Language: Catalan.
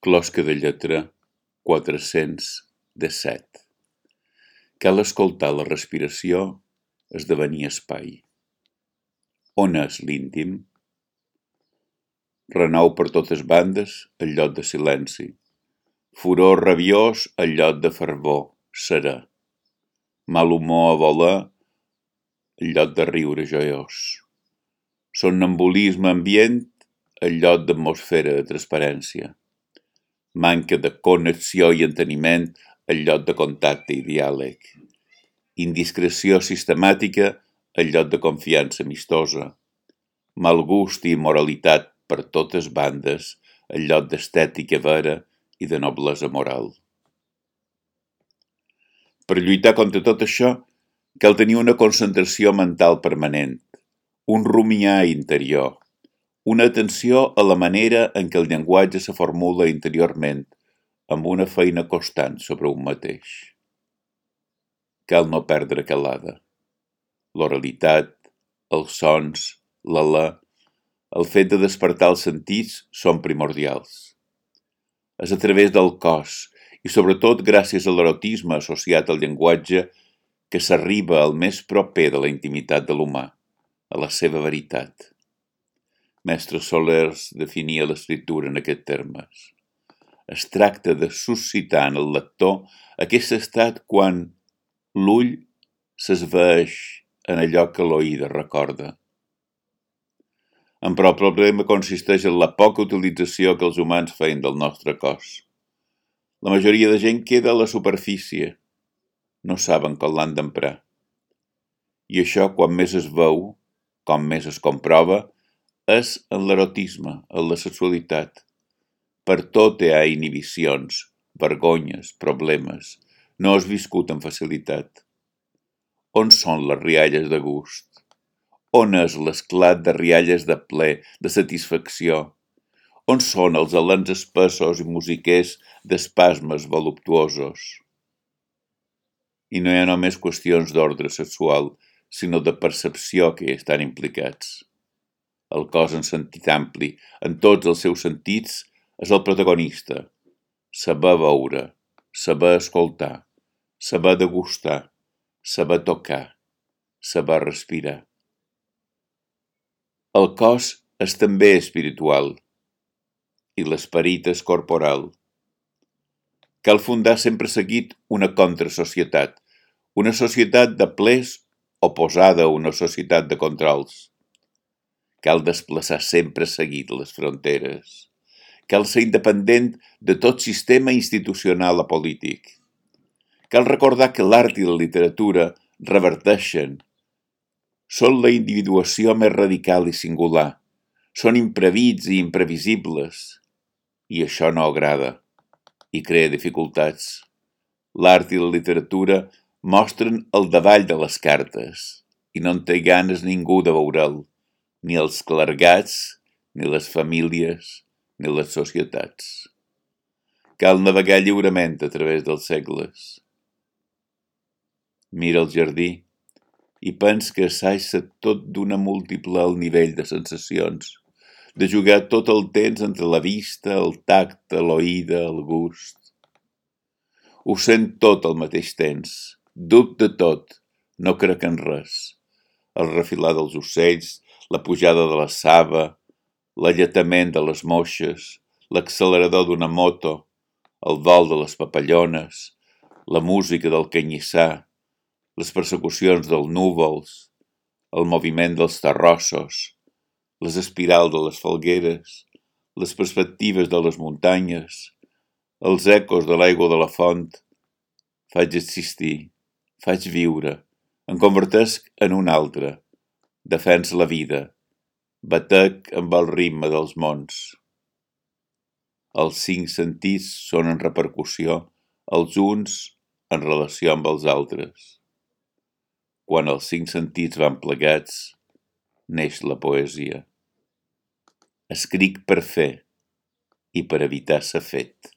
Closca de lletra 417. Cal escoltar la respiració esdevenir espai. On és l'íntim? Renou per totes bandes el lloc de silenci. Furor rabiós el lloc de fervor, serè. Mal humor a voler el lloc de riure joiós. Somnambulisme ambient el lloc d'atmosfera de transparència. Manca de connexió i enteniment el lloc de contacte i diàleg. Indiscreció sistemàtica el lloc de confiança amistosa. Mal gust i immoralitat per totes bandes el lloc d'estètica vera i de noblesa moral. Per lluitar contra tot això, cal tenir una concentració mental permanent, un rumiar interior, una atenció a la manera en què el llenguatge se formula interiorment, amb una feina constant sobre un mateix. Cal no perdre calada. L'oralitat, els sons, l'alè, el fet de despertar els sentits són primordials. És a través del cos, i sobretot gràcies a l'erotisme associat al llenguatge, que s'arriba al més proper de la intimitat de l'humà, a la seva veritat. Mestre Solers definia l'escriptura en aquests termes. Es tracta de suscitar en el lector aquest estat quan l'ull s'esvaeix en allò que l'oïda recorda. Però el problema consisteix en la poca utilització que els humans feien del nostre cos. La majoria de gent queda a la superfície, no saben com l'han d'emprar. I això, quan més es veu, com més es comprova, és en l'erotisme, en la sexualitat. Per tot hi ha inhibicions, vergonyes, problemes. No és viscut amb facilitat. On són les rialles de gust? On és l'esclat de rialles de ple, de satisfacció? On són els alens espessos i musiquers d'espasmes voluptuosos? I no hi ha només qüestions d'ordre sexual, sinó de percepció que hi estan implicats. El cos en sentit ampli, en tots els seus sentits, és el protagonista. Saber veure, saber escoltar, saber degustar, saber tocar, saber respirar. El cos és també espiritual i l'esperit és corporal. Cal fundar sempre seguit una contrasocietat, una societat de plers oposada a una societat de controls. Cal desplaçar sempre seguit les fronteres. Cal ser independent de tot sistema institucional o polític. Cal recordar que l'art i la literatura reverteixen. Són la individuació més radical i singular. Són imprevits i imprevisibles. I això no agrada i crea dificultats. L'art i la literatura mostren el davall de les cartes i no en té ganes ningú de veure'l, ni els clergats, ni les famílies, ni les societats. Cal navegar lliurement a través dels segles. Mira el jardí i pens que s'aixa tot d'una múltiple al nivell de sensacions, de jugar tot el temps entre la vista, el tacte, l'oïda, el gust. Ho sent tot al mateix temps, dubte tot, no crec en res. El refilar dels ocells, la pujada de la saba, l'alletament de les moixes, l'accelerador d'una moto, el vol de les papallones, la música del canyissar, les persecucions dels núvols, el moviment dels terrossos, les espirals de les falgueres, les perspectives de les muntanyes, els ecos de l'aigua de la font. Faig existir, faig viure, em convertesc en un altre, defens la vida, batec amb el ritme dels mons. Els 5 sentits són en repercussió, els uns en relació amb els altres. Quan els 5 sentits van plegats, neix la poesia. Escric per fer i per evitar ser fet.